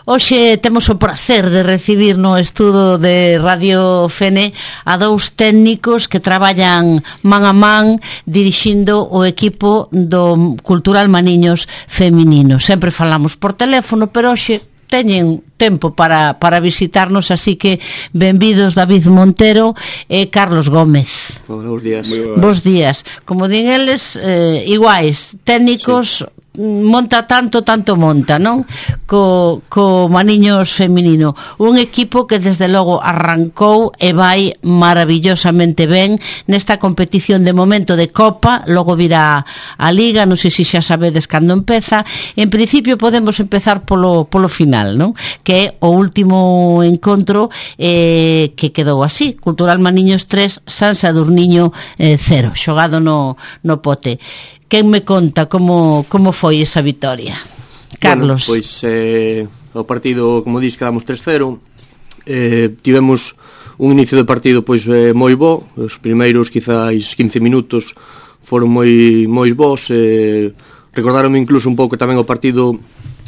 Hoxe temos o prazer de recibir no estudo de Radio Fene a dous técnicos que traballan man a man dirixindo o equipo do Cultural Maniños Feminino. Sempre falamos por teléfono, pero hoxe teñen tempo para visitarnos, así que benvidos David Montero e Carlos Gómez. Bos días. Bos días. Como din eles, iguais, técnicos, sí. Monta tanto monta, non? Co Maniños Feminino, un equipo que desde logo arrancou e vai maravillosamente ben nesta competición de momento de Copa, logo virá a Liga, non sei se xa sabedes cando empeza. En principio podemos empezar polo final, non? Que é o último encontro que quedou así, Cultural Maniños 3, San Sadurniño 0, xogado no Pote. Quen me conta como foi esa vitoria? Carlos. Bueno, pois o partido, como dis, quedamos 3-0. Tivemos un inicio de partido pois moi bo. Os primeiros quizáis 15 minutos foron moi bons. Recordaronme incluso un pouco tamén o partido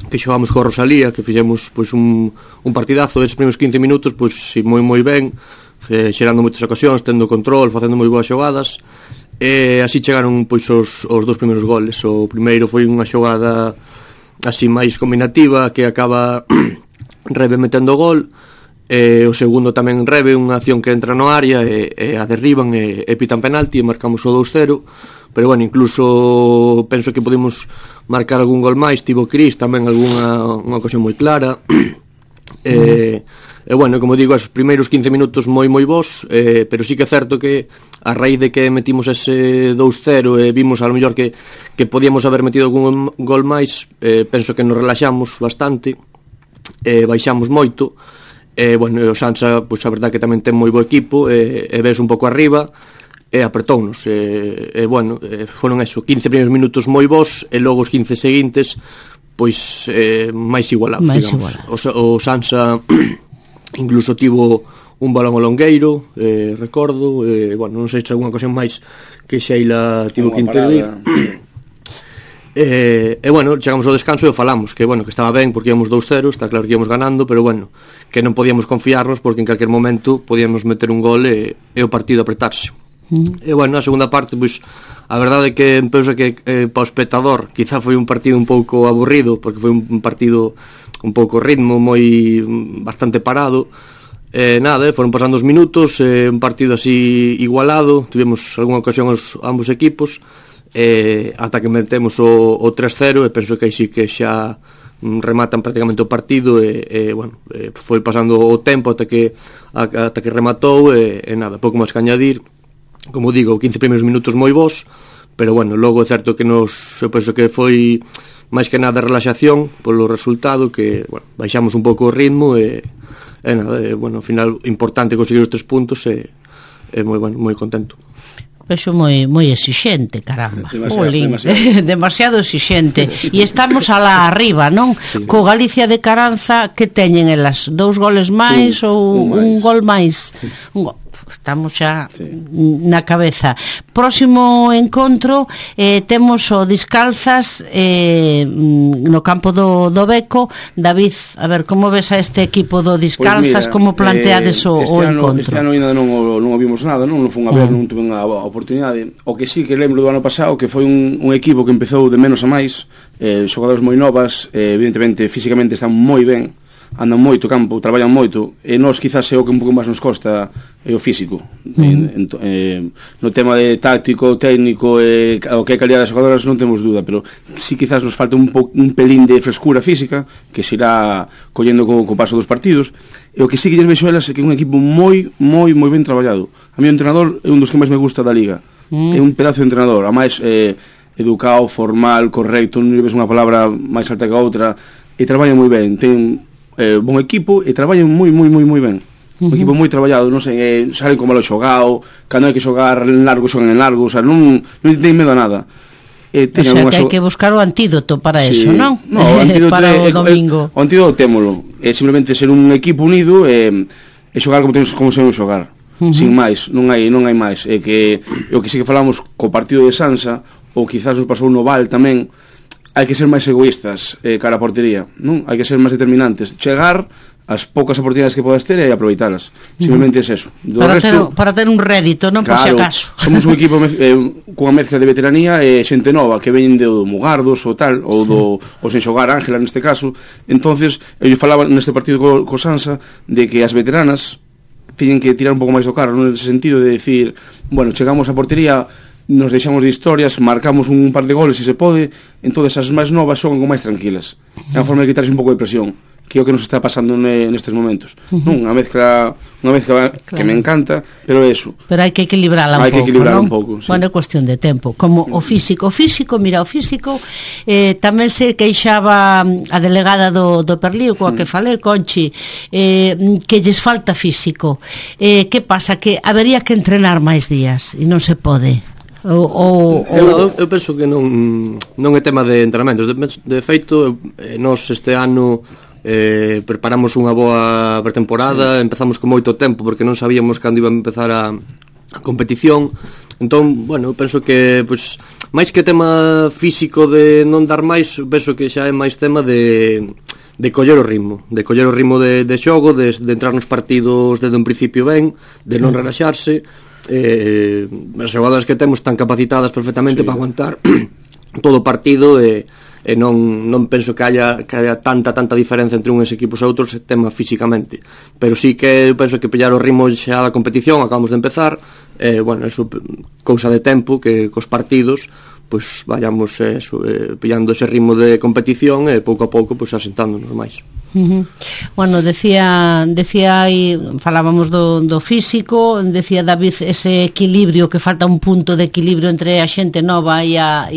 que xogamos co Rosalía, que fixemos pois un partidazo. Esses primeiros 15 minutos pois moi ben, xerando moitas ocasións, tendo control, facendo moi boas xogadas. E así chegaron pois os dous primeiros goles. O primeiro foi unha xogada así máis combinativa que acaba Rebe metendo o gol, e o segundo tamén Rebe, unha acción que entra no área e a derriban e pitan penalti e marcamos o 2-0. Pero bueno, incluso penso que podemos marcar algún gol máis. Tivo Cris tamén unha ocasión moi clara. E bueno, como digo, esos primeiros 15 minutos moi bons, pero sí que é certo que a raíz de que metimos ese 2-0 e vimos a lo mellor que podíamos haber metido algún gol máis, penso que nos relaxamos bastante, baixamos moito. Bueno, o Sansa, pois a verdad que tamén ten moi bo equipo, e ves un pouco arriba e apertounos. Bueno, foron eso, 15 primeiros minutos moi bons, e logo os 15 seguintes pois máis igualados, digamos. O Sansa incluso tivo un balón ao longueiro, recordo, bueno, non sei se alguna ocasión máis que Sheila tivo que intervir. Bueno, chegamos ao descanso e falamos que, bueno, que estaba ben porque íamos 2-0, está claro que íamos ganando, pero bueno, que non podíamos confiarnos porque en calquer momento podíamos meter un gol e o partido apretarse. E bueno, na segunda parte, pois a verdade é que penso que para o espectador quizá foi un partido un pouco aburrido, porque foi un partido un pouco ritmo, bastante parado. Nada, foron pasando os minutos, un partido así igualado, tivemos algunha ocasión ambos equipos, ata que metemos o 3-0, e penso que aí sí que xa rematan prácticamente o partido, e bueno, foi pasando o tempo ata que rematou, e nada, pouco máis que añadir. Como digo, 15 primeiros minutos moi bons, pero bueno, logo é certo que eu penso que foi máis que nada relaxación polo resultado, que, bueno, baixamos un pouco o ritmo, e nada, bueno, ao final importante conseguir os 3 puntos, e moi bueno, moi contento. Vexo moi exixente, caramba. Demasiado exixente. E estamos alá arriba, non? Sí. Co Galicia de Caranza, que teñen elas? 2 goles máis ou un gol máis? Estamos xa na cabeza. Próximo encontro temos o Discalzas no campo do Beco. David, a ver, como ves a este equipo do Discalzas? Pues mira, como planteades o encontro? Este ano ainda non o vimos nada, non fun a ver, non tuve a oportunidade. O que sí que lembro do ano pasado, que foi un equipo que empezou de menos a máis, xogadores moi novas, evidentemente físicamente están moi ben, andan moito campo, traballan moito, e nós quizás é o que un pouco máis nos costa o físico. No tema de táctico, técnico, o que é calidad das xogadoras non temos dúda, pero sí quizás nos falta un pelín de frescura física que se irá collendo co paso dos partidos. E o que sí que lles vexo elas é que é un equipo moi ben traballado. A mí o entrenador é un dos que máis me gusta da Liga, é un pedazo de entrenador, a máis educado, formal, correcto, non ves unha palabra máis alta que a outra, e traballa moi ben, ten bon equipo e traballan moi ben. Un equipo moi traballado, non sei, salen como malo xogado, cando hai que xogar en largo, xogan en largo, o sea, non ten medo a nada. O sea, que hai que buscar o antídoto para eso, non? No, o antídoto para o domingo. O antídoto témolo, é simplemente ser un equipo unido e xogar como sabemos xogar, sin máis, non hai máis. É que o que sí que falamos co partido de Sansa, ou quizás nos pasou no Val tamén, hai que ser máis egoístas cara a portería, non? Hai que ser máis determinantes, chegar as poucas oportunidades que podas ter e aproveitalas. Simplemente é eso. Para ter un rédito, non, por si acaso. Somos un equipo cunha mezcla de veteranía e xente nova que ven do Mugardos ou tal, ou sen xogar Ángela neste caso. Entonces, eu falaba neste partido co Sansa de que as veteranas teñen que tirar un pouco máis do carro, nese sentido de decir, bueno, chegamos á portería, nos deixamos de historias, marcamos un par de goles se se pode, entonces as máis novas xogan con máis tranquilas. É unha forma de quitarse un pouco de presión, que é o que nos está pasando nestes momentos. Unha mezcla claro, que me encanta, pero é eso. Pero hai que equilibrala un pouco, sí. Bueno, é cuestión de tempo. Como o físico, mira, o físico tamén se queixaba a delegada do Perlío, coa que falei, Conchi, que lles falta físico. Que pasa? Que habería que entrenar máis días e non se pode. Eu penso que non é tema de entrenamentos. De feito, nós este ano preparamos unha boa pretemporada, empezamos con moito tempo porque non sabíamos cando iba a empezar a competición. Entón, bueno, penso que pois, máis que tema físico de non dar máis, penso que xa é máis tema de coller o ritmo, de xogo, de entrar nos partidos desde un principio ben, de non relaxarse. As xogadoras que temos están capacitadas perfectamente para aguantar todo o partido e non penso que haya tanta diferencia entre uns equipos e outros tema físicamente, pero sí que penso que pillar o ritmo xa da competición, acabamos de empezar, bueno, eso cousa de tempo que cos partidos pois vayamos pillando ese ritmo de competición e pouco a pouco pois asentándonos máis. Bueno, decía aí, falábamos do físico, decía David ese equilibrio, que falta un punto de equilibrio entre a xente nova e a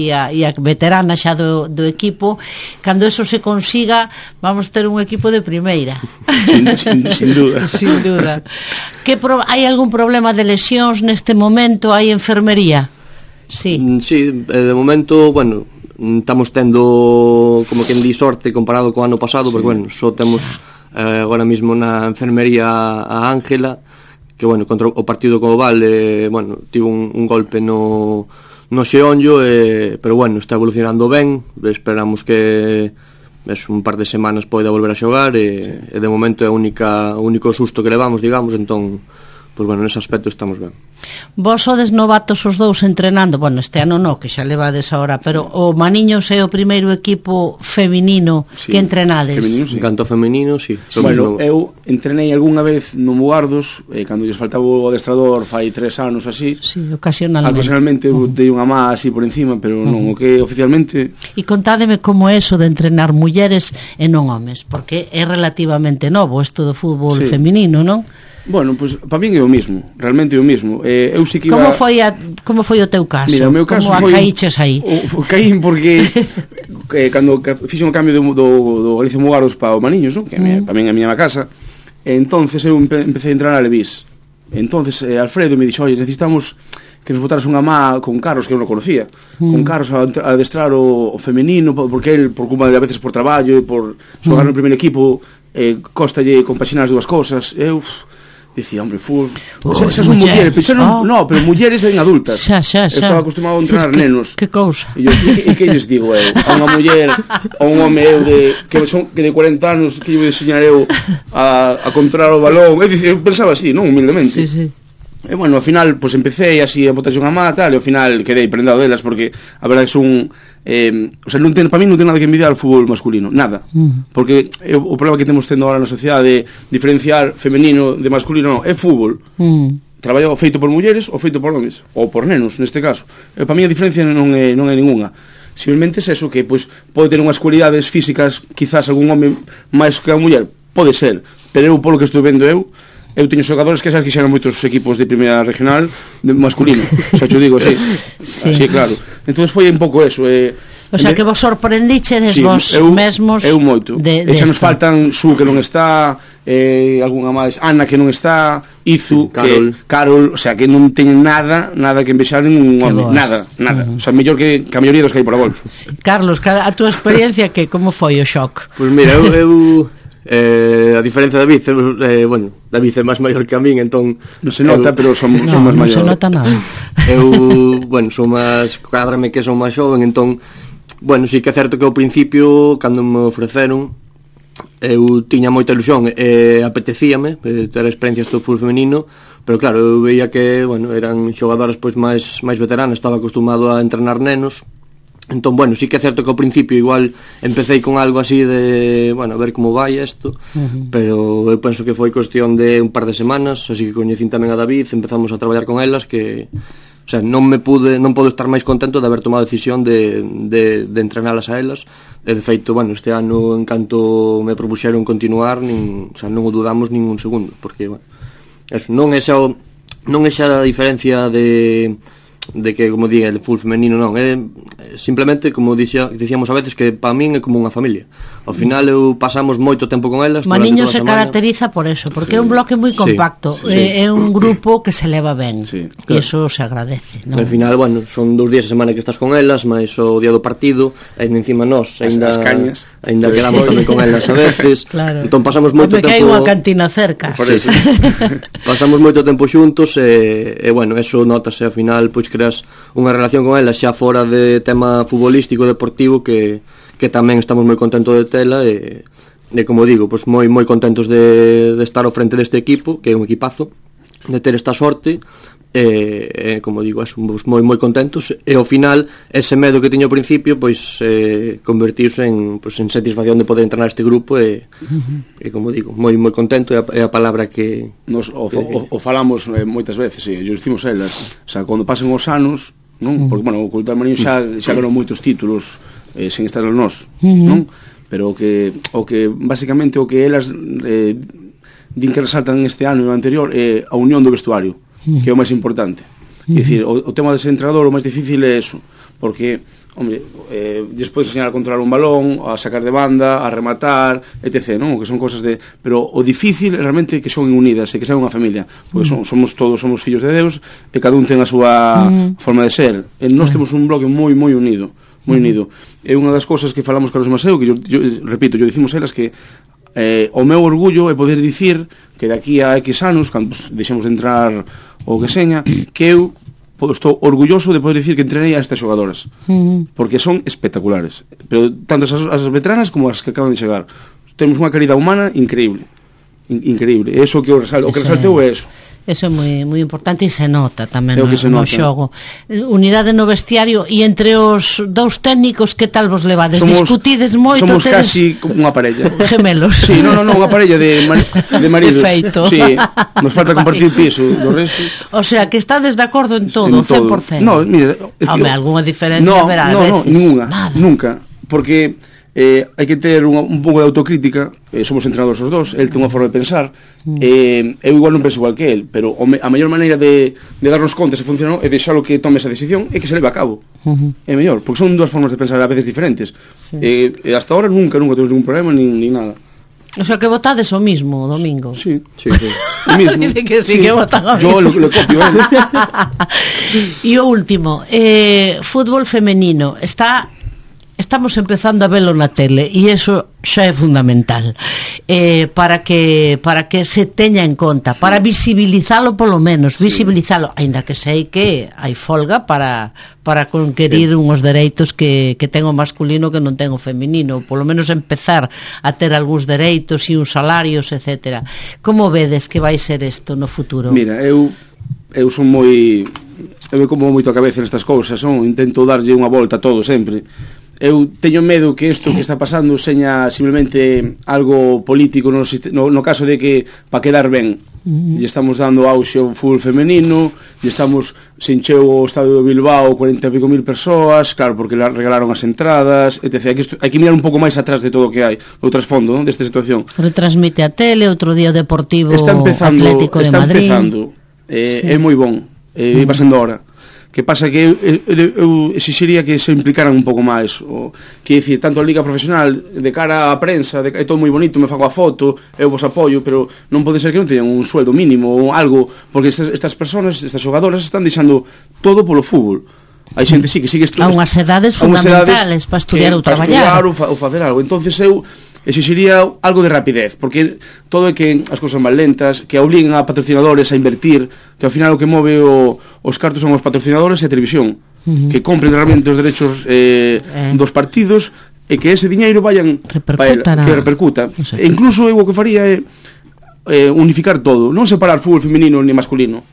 veterana xa do equipo. Cando eso se consiga, vamos ter un equipo de primeira. Sin duda. Sin duda. Hai algún problema de lesións neste momento? Hai enfermería? Sí, de momento, bueno, estamos tendo, como quen di, sorte comparado co ano pasado, porque, bueno, só temos agora mesmo na enfermería a Ángela, que, bueno, contra o partido co Oval, bueno, tivo un golpe no xeonllo, pero, bueno, está evolucionando ben, esperamos que un par de semanas poida volver a xogar, e de momento é o único susto que levamos, digamos, entón, pois, bueno, nese aspecto estamos ben. Vos sodes novatos os dous entrenando, bueno, este ano non, que xa levades ahora, pero o Maniños é o primeiro equipo feminino que entrenades. Feminino, sí. Canto femenino, sí. Bueno, eu entrenei algunha vez no Mugardos, cando lles faltaba o adestrador fai 3 anos así. Sí, ocasionalmente. Ocasionalmente dei unha má así por encima, pero non, o que oficialmente... E contádeme como é eso de entrenar mulleres e non homes, porque é relativamente novo isto do fútbol feminino, non? Bueno, pues para min é o mismo, realmente é o mismo. Eu sí que iba... Como foi o teu caso? Mira, o meu caso como caíches aí? Caín porque cando fixen o cambio do Galicia Mugardos para o Maniños, ¿no? Que para min é a miña casa, entonces eu empecé a entrar a Levís. Entonces Alfredo me dixo, oye, necesitamos que nos botaras unha má con Carlos, que eu non conocía, con Carlos a adestrar o femenino, porque el, por culpa de a veces por traballo e por xogar no primeiro equipo, costalle compaxinar as dúas cosas. Eu dicía, hombre, esas son mulleres, pero mulleres en adultas. Xa. Estaba acostumado a entrenar nenos. Que cousa. E que lles digo eu? A unha muller, a un home eu que de 40 anos, que lle vou enseñar eu a controlar o balón. Eu pensaba así, non, humildemente. Sí. E bueno, ao final, pues empecé así a botarse unha má, tal, e ao final quedei prendado delas, porque a verdade que son... o sea, para mí non ten nada que envidiar ao fútbol masculino, nada, porque o problema que temos tendo agora na sociedade de diferenciar femenino de masculino, é fútbol, traballo feito por mulleres ou feito por homes, ou por nenos neste caso. Para mí a diferencia non é ninguna. Simplemente é eso, que pues, pode ter unhas cualidades físicas, quizás algún home máis que a muller, pode ser, pero eu, polo que estou vendo eu teño xogadores que xa quixeran moitos equipos de primeira regional de masculino, xa te digo, así, así, claro. Entón foi un pouco eso, o sea, que vos sorprendichedes vos mesmos. Eu moito. E xa nos faltan Su, que non está, algunha máis, Ana, que non está, Izu, Carol, o sea, que non teñen nada que envexar en un home, nada. O sea, mellor que a maioría dos que hai por a golf. Carlos, a túa experiencia, que como foi o shock? Pois mira, eu a diferencia de David, bueno, David é máis maior que a min, entón non se nota, pero son máis maior. Non se nota nada. Eu, bueno, son máis, cadrame que son máis xoven, entón Bueno, sí que é certo que ao principio, cando me ofreceron, eu tiña moita ilusión e apetecíame ter experiencias do fútbol femenino, pero claro, eu veía que, bueno, eran xogadoras pois máis veteranas, estaba acostumado a entrenar nenos. Entón, bueno, sí que é certo que ao principio igual empecé con algo así de, bueno, a ver como vai isto, pero eu penso que foi cuestión de un par de semanas, así que coñecín tamén a David, empezamos a traballar con elas, que, o sea, non podo estar máis contento de haber tomado a decisión de entrenalas a elas, e de feito, bueno, este ano en canto me propuxeron continuar, o sea, non o dudamos nin un segundo, porque, bueno, eso, non é xa a diferencia de que, como diga, el fútbol femenino non, é simplemente, como dicíamos a veces, que para min é como unha familia. Ao final pasamos moito tempo con elas. Maniño se caracteriza por eso, porque é un bloque moi compacto, é un grupo que se leva ben, e iso se agradece, non? Ao final, bueno, son 2 días a semana que estás con elas, máis o día do partido, e encima nós as cañas, ainda quedamos tamén con elas a veces. Entón pasamos moito tempo, porque hai unha cantina cerca. Por eso. Pasamos moito tempo xuntos e bueno, eso notase ao final, pois creas unha relación con elas xa fora de tema futbolístico deportivo que tamén estamos moi contentos de tela e como digo, pois moi contentos de estar ao frente deste equipo, que é un equipazo, de ter esta sorte e como digo, somos moi contentos e ao final ese medo que tiño ao principio pois convertiuse en satisfacción de poder entrenar este grupo e como digo, moi contento, é a palabra que nos o falamos moitas veces, e yo dicimos elas, o sea, cando pasen os anos, non? Porque, bueno, o Cultural Marín xa ganou moitos títulos sen estar os nós, non? Pero o que basicamente o que elas din que resaltan este ano e o anterior é a unión do vestuario, que é o máis importante. É dicir, o tema de ser entrenador o máis difícil é eso, porque, hombre, despois enseñar a controlar un balón, a sacar de banda, a rematar, etc., non? Que son cosas de... Pero o difícil é realmente que son unidas e que sean unha familia, porque somos fillos de Deus e cada un ten a súa forma de ser. E nós temos un bloque moi unido, moi unido. É unha das cosas que falamos Carlos Maseu, que yo repito, yo dicimos elas que o meu orgullo é poder dicir que daqui a X anos, cando deixemos de entrar o que seña, que eu estou orgulloso de poder dicir que entrenei a estas xogadoras, porque son espectaculares, pero tanto as veteranas como as que acaban de chegar. Temos unha calidad humana increíble, eso que o que resalteu é eso. Eso é moi importante e se nota tamén no xogo. Unidade no vestiario e entre os dous técnicos, que tal vos levades? Discutides moito? Somos casi como unha parella. Gemelos. Sí, non, unha parella de maridos. Perfeito. Sí, nos falta compartir piso, do resto. O sea, que estades de acordo en todo, 100%. No, mira, home, algunha diferencia haberá a veces. Ninguna, nunca, porque hai que ter un pouco de autocrítica. Somos entrenadores os dos, el ten unha forma de pensar, eu igual non penso igual que el, pero a mellor maneira de darnos conta se funciona é deixalo que tome esa decisión e que se leve a cabo. É mellor, porque son dúas formas de pensar a veces diferentes. Hasta ahora nunca temos ningún problema ni nada. O sea, que votades o mismo o domingo. Sí. O mismo. Dice que sí, que votan o Yo mismo. lo copio. E o último, fútbol femenino estamos empezando a velo na tele e iso xa é fundamental, para que se teña en conta, para visibilizalo polo menos, visibilizalo, aínda que sei que hai folga para conquerir unhos dereitos que ten o masculino que non ten o feminino, polo menos empezar a ter algúns dereitos e uns salarios, etcétera. Como vedes que vai ser isto no futuro? Mira, eu son moi... Eu me como moito a cabeza nestas cousas, intento darlle unha volta a todo sempre. Eu teño medo que isto que está pasando seña simplemente algo político no caso de que para quedar ben e estamos dando auxe ao fútbol femenino e estamos se encheu o estadio de Bilbao 40 e pico mil persoas, claro, porque regalaron as entradas, etc. Hai que mirar un pouco máis atrás de todo o que hai, o trasfondo desta situación. Retransmite a tele, outro día o Deportivo Atlético de Madrid. Está empezando, é moi bon, iba sendo hora. Que pasa que eu exixiría que se implicaran un pouco máis, que dicir, tanto a Liga Profesional de cara á prensa, é todo moi bonito, me fago a foto, eu vos apoio, pero non pode ser que non teñan un sueldo mínimo ou algo, porque estas persoas, estas xogadoras están deixando todo polo fútbol. Hai xente que sigue a unhas edades fundamentales para estudiar ou traballar ou facer algo. Entonces eu exixiría algo de rapidez, porque todo é que as cousas son máis lentas, que obliguen a patrocinadores a invertir, que ao final o que move os cartos son os patrocinadores e a televisión. que compren realmente os derechos dos partidos e que ese diñeiro vayan que repercuta. E incluso eu o que faría é unificar todo, non separar fútbol femenino ni masculino.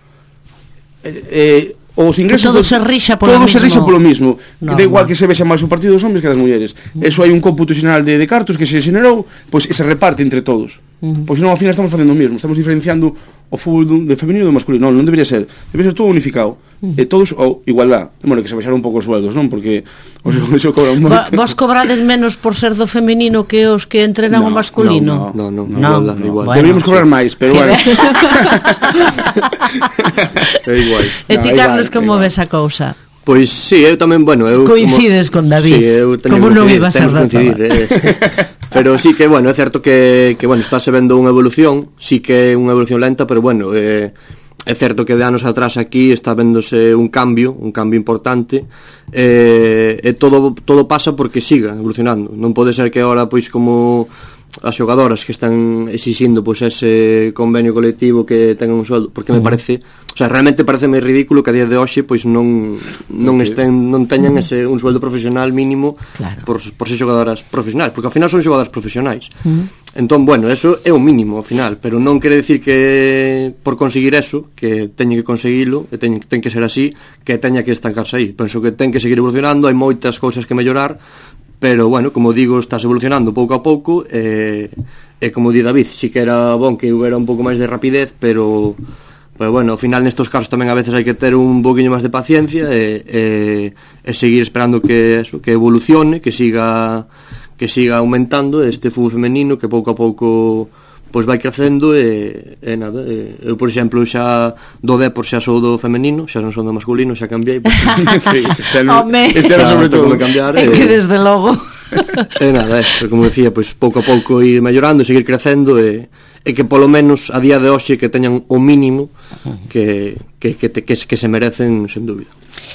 Os ingresos todo se rixa polo mismo. Da igual que se vexa máis o partido dos hombres que das mulleres. Eso hai un cómputo xeral de cartos que se xenerou, pois se reparte entre todos. Pois non, ao final estamos facendo o mesmo, estamos diferenciando o fútbol de femenino e do masculino. Non debería ser todo unificado. E todos igualdad. Bueno, que se baixaron un pouco os sueldos, non? Porque os cobran moito. Vos cobrades menos por ser do femenino que os que entrenan o masculino? Non, igual. Deberíamos cobrar máis, pero bueno. É igual. E ti, Carlos, como ves a cousa? Pois sí, eu tamén, bueno, coincides con David, como non iba a ser pero sí que, bueno, é certo que bueno, estáse vendo unha evolución, sí que é unha evolución lenta, pero bueno, é certo que de anos atrás aquí está vendose un cambio importante, e todo pasa porque siga evolucionando. Non pode ser que agora, pois, como as xogadoras que están exixindo pois ese convenio colectivo que tengan un sueldo, porque me parece, o sea, realmente pareceme ridículo que a día de hoxe pois non teñan un sueldo profesional mínimo, claro, por ser xogadoras profesionais, porque ao final son xogadoras profesionais. Entón, bueno, eso é o mínimo ao final, pero non quere decir que por conseguir eso, que teña que conseguilo, e ten que ser así, que teña que estancarse aí. Penso que ten que seguir evolucionando, hai moitas cousas que mellorar, pero, bueno, como digo, estás evolucionando pouco a pouco, e como di David, si que era bon que houbera un pouco máis de rapidez, pero bueno, ao final nestos casos tamén a veces hai que ter un poquinho máis de paciencia e seguir esperando que evolucione, que siga aumentando este fútbol femenino, que pouco a pouco pois vai crecendo, e nada, eu, por exemplo, xa do Depor xa sou do femenino, xa non son do masculino, xa cambiei, sí, este era sobre todo cambiar, que desde logo e nada, como decía, pois pouco a pouco ir mellorando, seguir crecendo, e que polo menos a día de hoxe que teñan o mínimo que se merecen, sen dúbida.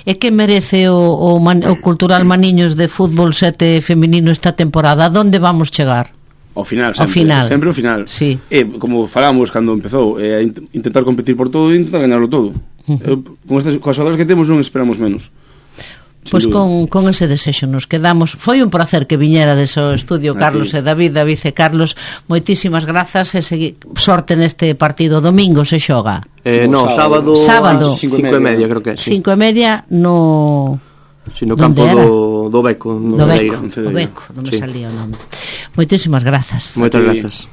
E que merece o Cultural Maniños de fútbol 7 femenino esta temporada? Donde vamos chegar? Ao final, sempre ao final. Sí. Como falamos cando empezou, intentar competir por todo e intentar ganarlo todo. Con estas xogadoras que temos non esperamos menos. Pois con ese desexo nos quedamos. Foi un placer que viñerades ao estudio, Carlos e David e Carlos. Moitísimas grazas e sorte neste partido. Domingo se xoga. No, sábado 5:30, creo que é. 5:30 no... Si, no campo do Beco, do Beco, non me salía o nome. Moitísimas grazas. Moitas grazas.